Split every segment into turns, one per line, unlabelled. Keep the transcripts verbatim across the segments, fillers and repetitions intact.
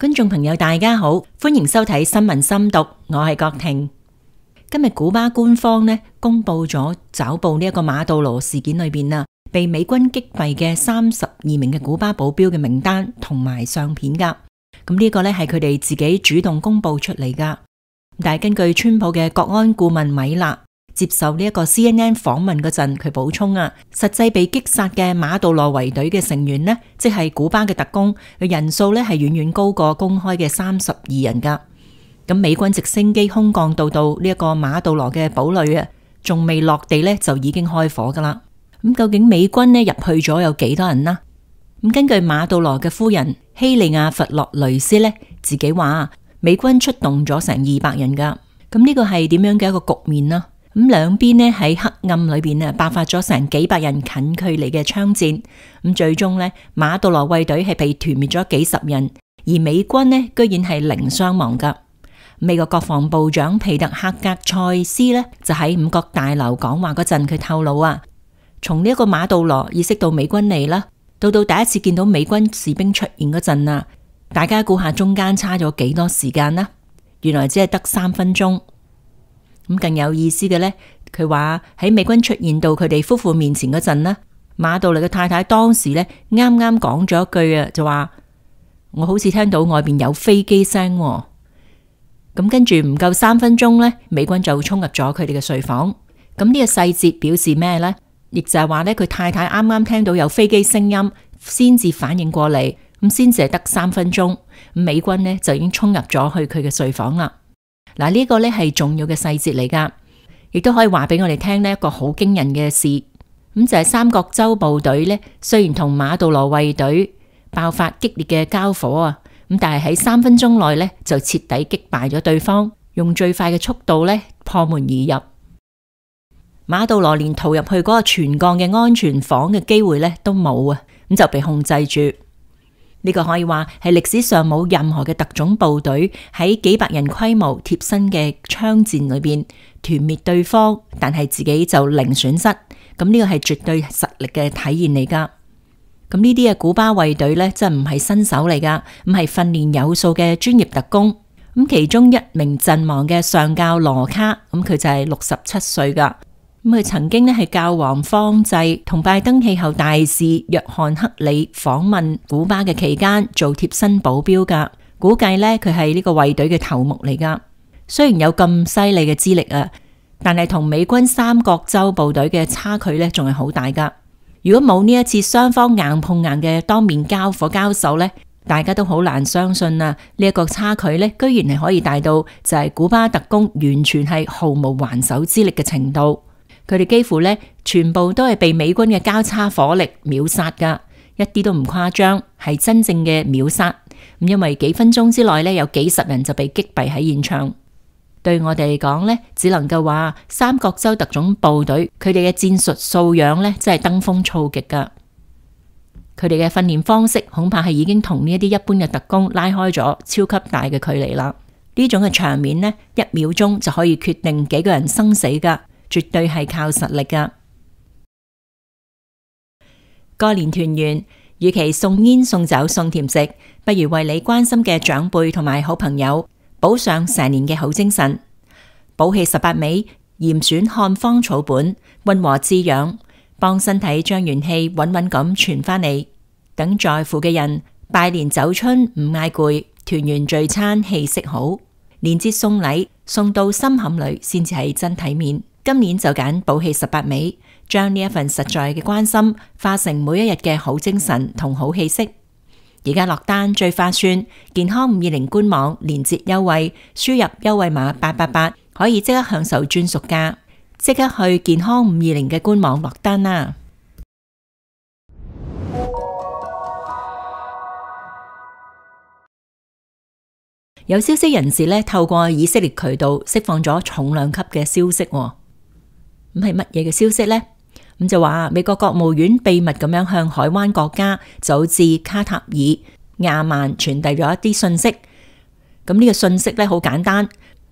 觀眾朋友大家好，歡迎收睇新聞深讀，我係郭婷。今日古巴官方呢公布咗抓捕呢一個馬杜羅事件裏邊啊，被美軍擊斃嘅三十二名嘅古巴保鏢嘅名單同埋相片噶。咁呢個呢係佢哋自己主動公布出嚟噶。但係根據川普嘅國安顧問米勒接受呢一個 C N N 訪問嗰陣，佢補充啊，實際被擊殺嘅馬杜羅衛隊嘅成員呢，即係古巴嘅特工嘅人數呢係遠遠高過公開嘅三十二人噶。咁美軍直升機空降到到呢一個馬杜羅嘅堡壘啊，仲未落地呢就已經開火噶啦。咁究竟美軍呢入去咗有幾多人呢？咁根據馬杜羅嘅夫人希利亞弗洛雷斯呢自己話，美軍出動咗成二百人噶。咁呢個係點樣嘅一個局面呢？咁兩邊呢喺黑暗裏邊啊，爆發咗成幾百人近距離嘅槍戰。咁最終呢，馬杜羅衛隊係被團滅咗幾十人，而美軍呢居然係零傷亡噶。美國國防部長皮特克格塞斯呢就喺五角大樓講話嗰陣，佢透露啊，從呢一個馬杜羅意識到美軍嚟啦，到到第一次見到美軍士兵出現嗰陣啊，大家估下中間差咗幾多時間啦？原來只係得三分鐘。咁更有意思嘅呢，佢話喺美軍出現到佢哋夫婦面前嗰陣呢，馬杜羅嘅太太當時呢啱啱講咗一句啊，就話我好似聽到外邊有飛機聲。咁跟住唔夠三分鐘呢，美軍就衝入咗佢哋嘅睡房。咁呢個細節表示咩呢？亦就係話呢，佢太太啱啱聽到有飛機聲音，先至反應過嚟，咁先至係得三分鐘，美軍呢就已經衝入咗去佢嘅睡房啦。嗱，呢個呢係重要嘅細節嚟噶，亦都可以話俾我哋聽呢一個好驚人嘅事。咁就係三角洲部隊呢，雖然同馬杜羅衛隊爆發激烈嘅交火啊，咁但係喺三分鐘內呢，就徹底擊敗咗對方，用最快嘅速度呢破門而入。馬杜羅連逃入去嗰個全鋼嘅安全房嘅機會呢都冇啊，咁就被控制住。呢個可以話係歷史上冇任何嘅特種部隊喺幾百人規模貼身嘅槍戰裏邊團滅對方，但係自己就零損失。咁呢個係絕對實力嘅體現嚟噶。咁呢啲嘅古巴衛隊呢，真唔係新手嚟噶，咁係訓練有素嘅專業特工。咁其中一名陣亡嘅上校羅卡，咁佢就係六十七歲噶。咁佢曾經呢係教皇方濟同拜登氣候大使約翰克里訪問古巴嘅期間做貼身保鏢噶，估計呢，佢係呢個衛隊嘅頭目嚟噶。雖然有咁犀利嘅資歷啊，但係同美軍三角洲部隊嘅差距呢仲係好大噶。如果冇呢一次雙方硬碰硬嘅當面交火交手呢，大家都好難相信啊，呢一個差距呢居然係可以大到就係古巴特工完全係毫無還手之力嘅程度。佢哋幾乎呢全部都係被美軍嘅交叉火力秒殺噶，一啲都唔誇張，係真正嘅秒殺。咁因為幾分鐘之內呢，有幾十人就被擊斃喺現場。對我哋嚟講呢，只能夠話三角洲特種部隊佢哋嘅戰術素養呢，真係登峰造極噶。佢哋嘅訓練方式恐怕係已經同呢一啲一般嘅特工拉開咗超級大嘅距離啦。呢種嘅場面呢，一秒鐘就可以決定幾個人生死噶。絕對係靠實力噶。過年團圓，與其送煙送酒送甜食，不如為你關心嘅長輩同埋好朋友補上成年嘅好精神。補氣十八味，嚴選漢方草本，溫和滋養，幫身體將元氣穩穩咁傳返嚟。等在乎嘅人拜年走春唔嗌攰，團圓聚餐氣息好。年節送禮送到心坎裏，先至係真體面。今年就揀補氣十八味，將呢一份實在嘅關心化成每一日嘅好精神同好氣息。而家落單最划算，健康五二零官網連節優惠，輸入優惠碼八八八，可以即刻享受專屬價。即刻去健康五二零嘅官網落單啦！有消息人士呢，透過以色列渠道釋放咗重量級嘅消息。咁係乜嘢嘅消息呢？咁就話美國國務院秘密咁樣向海灣國家，就好似卡塔爾、亞曼傳遞咗一啲信息。咁呢個信息咧好簡單，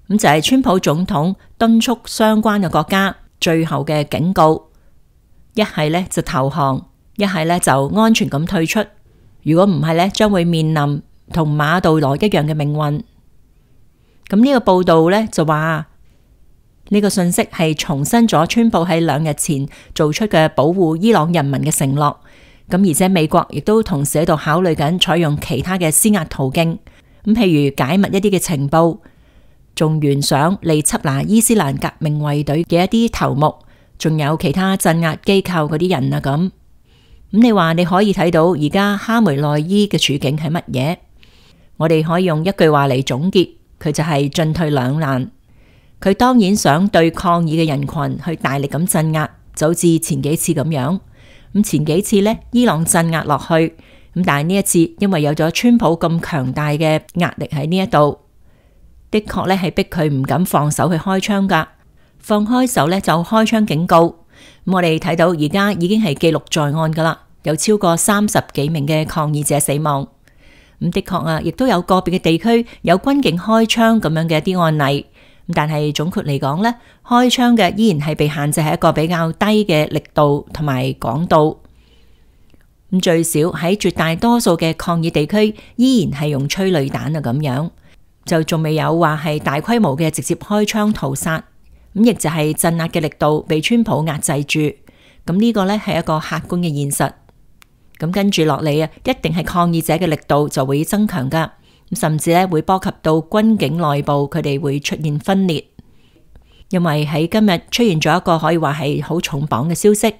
咁就係川普總統敦促相關嘅國家最後嘅警告，一係咧就投降，一係咧就安全咁退出。如果唔係咧，將會面臨同馬杜羅一樣嘅命運。咁呢個報道呢，就話呢個信息係重申咗川普喺兩日前做出嘅保護伊朗人民嘅承諾。咁而且美國亦都同時喺度考慮緊採用其他嘅施壓途徑，咁譬如解密一啲嘅情報，仲懸賞嚟緝拿伊斯蘭革命衛隊嘅一啲頭目，仲有其他鎮壓機構嗰啲人啊咁。咁你話你可以睇到而家哈梅內伊嘅處境係乜嘢？我哋可以用一句話嚟總結，佢就係進退兩難。佢當然想對抗議嘅人群去大力咁鎮壓，就好似前幾次咁樣。咁前幾次呢，伊朗鎮壓落去，咁但係呢一次因為有咗川普咁強大嘅壓力喺呢一度，的確咧係逼佢唔敢放手去開槍噶，放開手呢，就開槍警告。咁我哋睇到而家已經係記錄在案噶啦，有超過三十幾名嘅抗議者死亡。咁的確啊，亦都有個別嘅地區有軍警開槍咁樣嘅一啲案例。但係總括嚟講呢，開槍嘅依然係被限制喺一個比較低嘅力度同埋廣度。咁最少喺絕大多數嘅抗議地區，依然係用催淚彈啊咁樣，就仲未有話係大規模嘅直接開槍屠殺。咁亦就係鎮壓嘅力度被川普壓制住。咁呢個呢係一個客觀嘅現實。咁跟住落嚟啊，一定係抗議者嘅力度就會增強噶。甚至咧會波及到軍警內部，佢哋會出現分裂。因為喺今日出現咗一個可以話係好重磅嘅消息，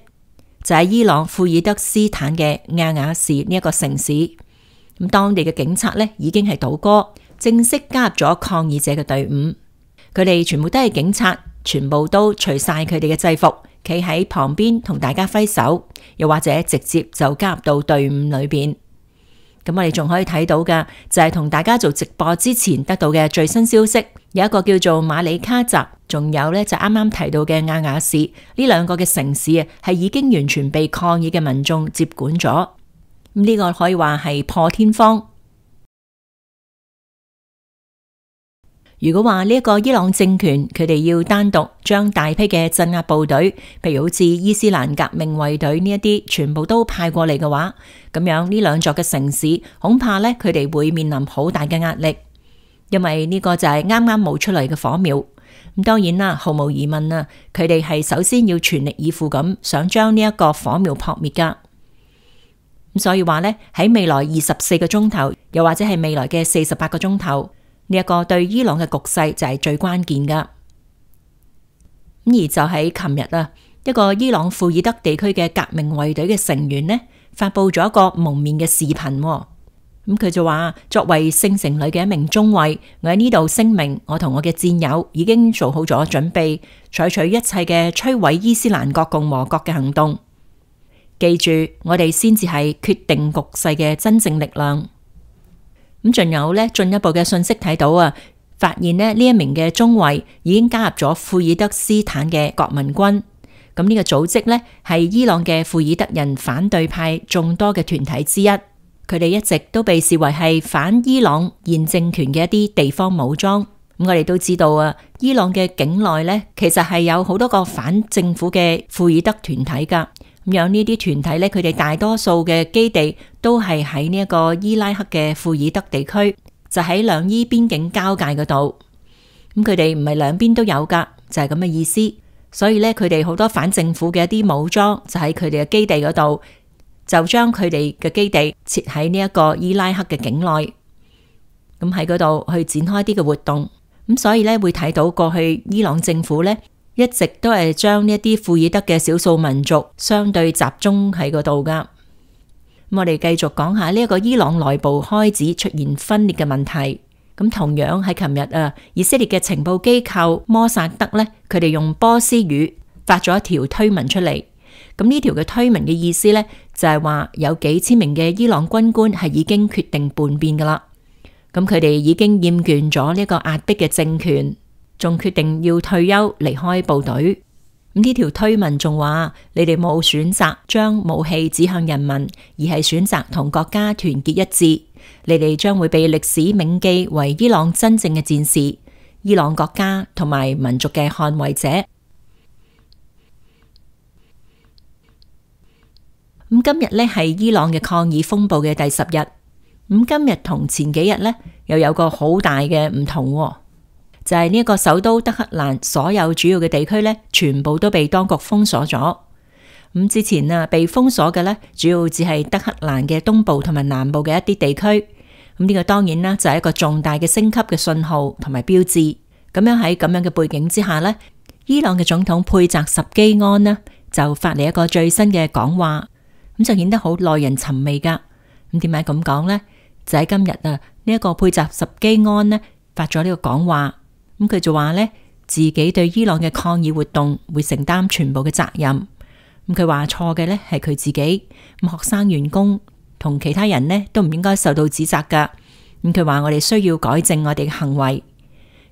就係伊朗庫爾德斯坦嘅亞瓦士呢一個城市，咁當地嘅警察咧已經係倒戈，正式加入咗抗議者嘅隊伍。佢哋全部都係警察，全部都除晒佢哋嘅制服，企喺旁邊同大家揮手，又或者直接就加入到隊伍裏邊。咁我哋仲可以睇到嘅就係同大家做直播之前得到嘅最新消息，有一個叫做馬里卡澤，仲有呢就啱啱提到嘅亞瓦士呢兩個嘅城市啊，係已經完全被抗議嘅民眾接管咗。咁、這、呢個可以話係破天荒。如果話呢一個伊朗政權佢哋要單獨將大批嘅鎮壓部隊，譬如好似伊斯蘭革命衛隊呢一啲，全部都派過嚟嘅話，咁樣呢兩座嘅城市恐怕呢，佢哋會面臨好大嘅壓力，因為呢個就係啱啱冒出嚟嘅火苗。咁當然啦，毫無疑問啊，佢哋係首先要全力以赴咁想將呢一個火苗撲滅噶。咁所以話呢，喺未來二十四個鐘頭，又或者係未來嘅四十八個鐘頭。呢一個對伊朗嘅局勢就係最關鍵噶。咁而就喺琴日啊，一個伊朗庫爾德地區嘅革命衛隊嘅成員呢，發佈咗一個蒙面嘅視頻。咁佢就話，作為聖城裏嘅一名中尉，我喺呢度聲明，我同我嘅戰友已經做好咗準備，採取一切嘅摧毀伊斯蘭國共和國嘅行動。記住，我哋先至係決定局勢嘅真正力量。咁仲有咧進一步嘅信息睇到啊，發現咧呢一名嘅中尉已經加入咗庫爾德斯坦嘅國民軍。咁呢個組織咧係伊朗嘅庫爾德人反對派眾多嘅團體之一，佢哋一直都被視為係反伊朗現政權嘅一啲地方武裝。咁我哋都知道啊，伊朗嘅境內咧其實係有好多個反政府嘅庫爾德團體噶。咁樣呢啲團體咧，佢哋大多數嘅基地都係喺呢一個伊拉克嘅庫爾德地區，就喺兩伊邊境交界嗰度。咁佢哋唔係兩邊都有噶，就係咁嘅意思。所以咧，佢哋好多反政府嘅一啲武裝就喺佢哋嘅基地嗰度，就將佢哋嘅基地設喺呢一個伊拉克嘅境內，咁喺嗰度去展開啲嘅活動。咁所以咧會睇到過去伊朗政府咧，一直都係將呢一啲庫爾德嘅少數民族相對集中喺嗰度噶。咁我哋繼續講下呢一個伊朗內部開始出現分裂嘅問題。咁同樣喺琴日啊，以色列嘅情報機構摩薩德呢，佢哋用波斯語發咗一條推文出嚟。咁呢條嘅推文嘅意思呢，就係話有幾千名嘅伊朗軍官係已經決定叛變噶啦。咁佢哋已經厭倦咗呢個壓迫嘅政權，仲決定要退休離開部隊。咁呢條推文仲話：你哋冇選擇將武器指向人民，而係選擇同國家團結一致。你哋將會被歷史銘記為伊朗真正嘅戰士，伊朗國家同埋民族嘅捍衛者。咁今日呢係伊朗嘅抗議風暴嘅第十日。咁今日同前幾日呢，又有個好大嘅唔同，就係呢一個首都德黑蘭所有主要嘅地區呢，全部都被當局封鎖咗。咁之前啊，被封鎖嘅呢，主要只係德黑蘭嘅東部同埋南部嘅一啲地區。咁呢個當然啦，就係一個重大嘅升級嘅信號同埋標誌。咁樣喺咁樣嘅背景之下呢，伊朗嘅總統佩澤什基安呢，就發嚟一個最新嘅講話，咁就顯得好耐人尋味噶。咁點解咁講呢？就喺今日啊，呢一個佩澤什基安呢，發咗呢個講話，咁佢就話呢，自己對伊朗嘅抗議活動會承擔全部嘅責任。咁佢話錯嘅呢係佢自己，咁學生員工同其他人呢都唔應該受到指責噶。咁佢話我哋需要改正我哋嘅行為。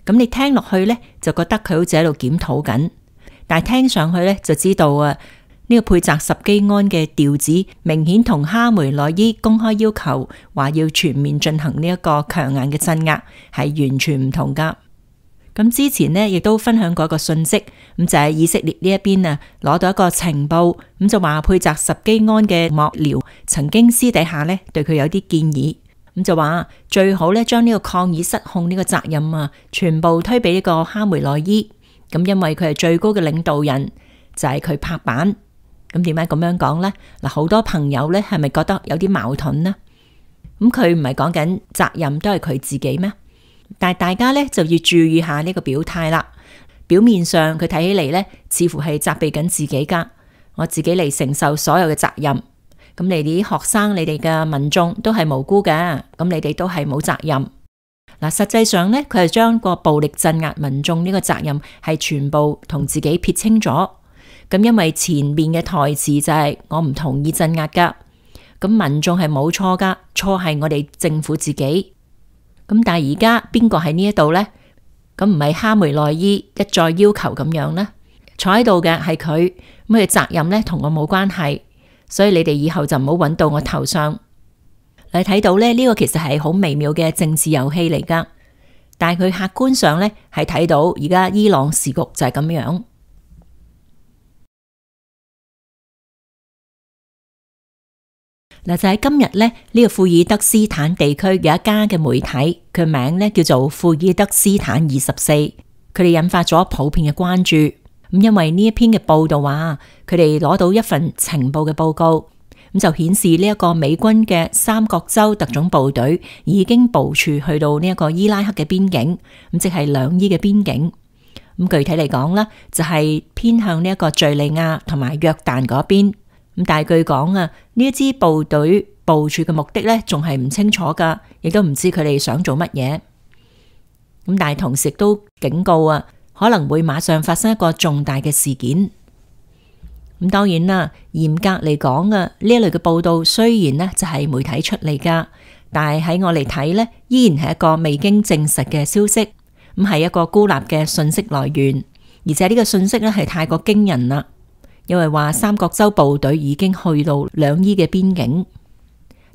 咁你聽落去呢，就覺得佢好似喺度檢討緊，但係聽上去呢，就知道啊，呢個佩澤什基安嘅調子明顯同哈梅內伊公開要求話要全面進行呢一個強硬嘅鎮壓係完全唔同噶。咁之前呢，亦都分享過一個信息，咁就係以色列呢一邊啊，攞到一個情報，咁就話佩澤什基安嘅幕僚曾經私底下呢對佢有啲建議，咁就話最好呢將呢個抗議失控呢個責任啊，全部推俾呢個哈梅內伊，咁因為佢係最高嘅領導人，就係佢拍板。咁點解咁樣講呢？嗱，好多朋友呢係咪覺得有啲矛盾呢？咁佢唔係講緊責任都係佢自己咩？但係大家咧就要注意下呢個表態啦。表面上佢睇起嚟咧，似乎係責備緊自己噶，我自己嚟承受所有嘅責任。咁你哋啲學生、你哋嘅民眾都係無辜嘅，咁你哋都係冇責任。嗱，實際上咧，佢係將個暴力鎮壓民眾呢個責任係全部同自己撇清咗。咁因為前面嘅台詞就係我唔同意鎮壓噶，咁民眾係冇錯噶，錯係我哋政府自己。咁但係而家邊個喺呢一度呢？咁唔係哈梅內伊一再要求咁樣呢？坐喺度嘅係佢，咁佢責任呢同我冇關係，所以你哋以後就唔好揾到我頭上。你睇到咧，呢個其實係好微妙嘅政治遊戲嚟噶，但係佢客觀上呢係睇到而家伊朗時局就係咁樣。嗱，就喺今日咧，呢個庫爾德斯坦地區有一家嘅媒體，佢名咧叫做庫爾德斯坦二十四，佢哋引發咗普遍嘅關注。咁因為呢一篇嘅報道話，佢哋攞到一份情報嘅報告，咁就顯示呢一個美軍嘅三角洲特種部隊已經部署去到呢一個伊拉克嘅邊境，咁即係兩伊嘅邊境。咁具體嚟講咧，就係偏向呢一個敘利亞同埋約旦嗰邊。咁但係據講啊，呢一支部隊部署嘅目的咧，仲係唔清楚噶，亦都唔知佢哋想做乜嘢。咁但係同時都警告啊，可能會馬上發生一個重大嘅事件。咁當然啦，嚴格嚟講啊，呢一類嘅報道雖然呢就係媒體出嚟噶，但係喺我嚟睇呢，依然係一個未經證實嘅消息，咁係一個孤立嘅信息來源，而且呢個信息呢係太過驚人啦。因為話三角洲部隊已經去到兩伊嘅邊境，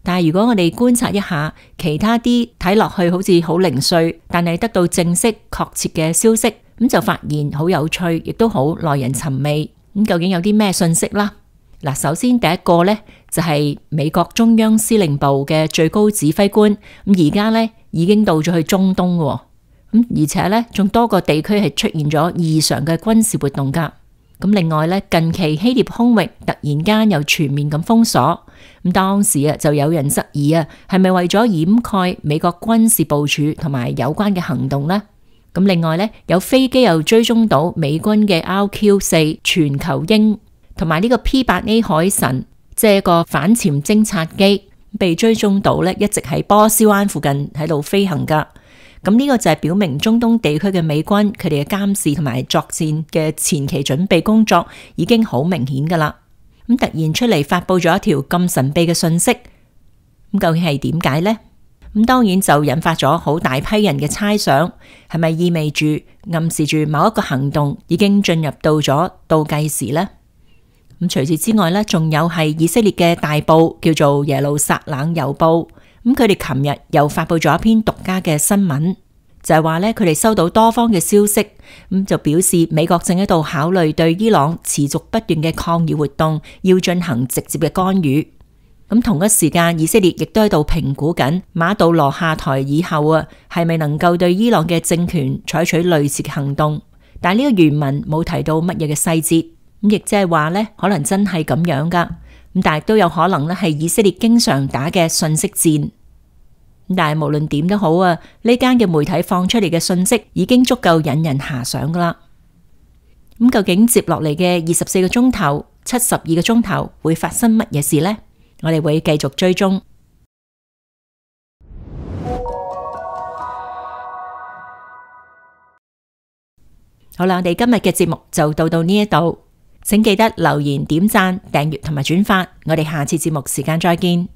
但係如果我哋觀察一下其他啲睇落去好似好零碎，但係得到正式確切嘅消息，咁就發現好有趣，亦都好耐人尋味。咁究竟有啲咩信息啦？嗱，首先第一個呢，就係美國中央司令部嘅最高指揮官，咁而家呢已經到咗去中東喎，咁而且呢仲多個地區係出現咗異常嘅軍事活動噶。咁另外咧，近期希臘空域突然間又全面咁封鎖，咁當時啊就有人質疑啊，係咪為咗掩蓋美國軍事部署同埋有關嘅行動呢？咁另外咧，有飛機又追蹤到美軍嘅 R Q 四全球鷹同埋呢個 P 八 A 海神，即係一個反潛偵察機，被追蹤到咧，一直喺波斯灣附近喺度飛行噶。咁呢個就係表明中東地區嘅美軍佢哋嘅監視同埋作戰嘅前期準備工作已經好明顯噶啦。咁突然出嚟發佈咗一條咁神秘嘅信息，咁究竟係點解呢？咁當然就引發咗好大批人嘅猜想，係咪意味住暗示住某一個行動已經進入到咗倒計時呢？咁除此之外呢，仲有係以色列嘅大報叫做耶路撒冷郵報。咁佢哋琴日又發佈咗一篇獨家嘅新聞，就係話咧，佢哋收到多方嘅消息，咁就表示美國正喺度考慮對伊朗持續不斷嘅抗議活動要進行直接嘅干預。咁同一時間，以色列亦都喺度評估緊馬杜羅下台以後啊，係咪能夠對伊朗嘅政權採取類似嘅行動？但係呢個原文冇提到乜嘢嘅細節，咁亦即係話呢，可能真係咁樣噶。咁但係都有可能咧係以色列經常打嘅信息戰。但係無論點都好啊，呢間嘅媒體放出嚟嘅信息已經足夠引人遐想噶啦。咁究竟接落嚟嘅二十四個鐘頭、七十二個鐘頭會發生乜嘢事呢？我哋會繼續追蹤。好啦，我哋今日嘅節目就到到呢一度，請記得留言、點讚、訂閱同埋轉發。我哋下次節目時間再見。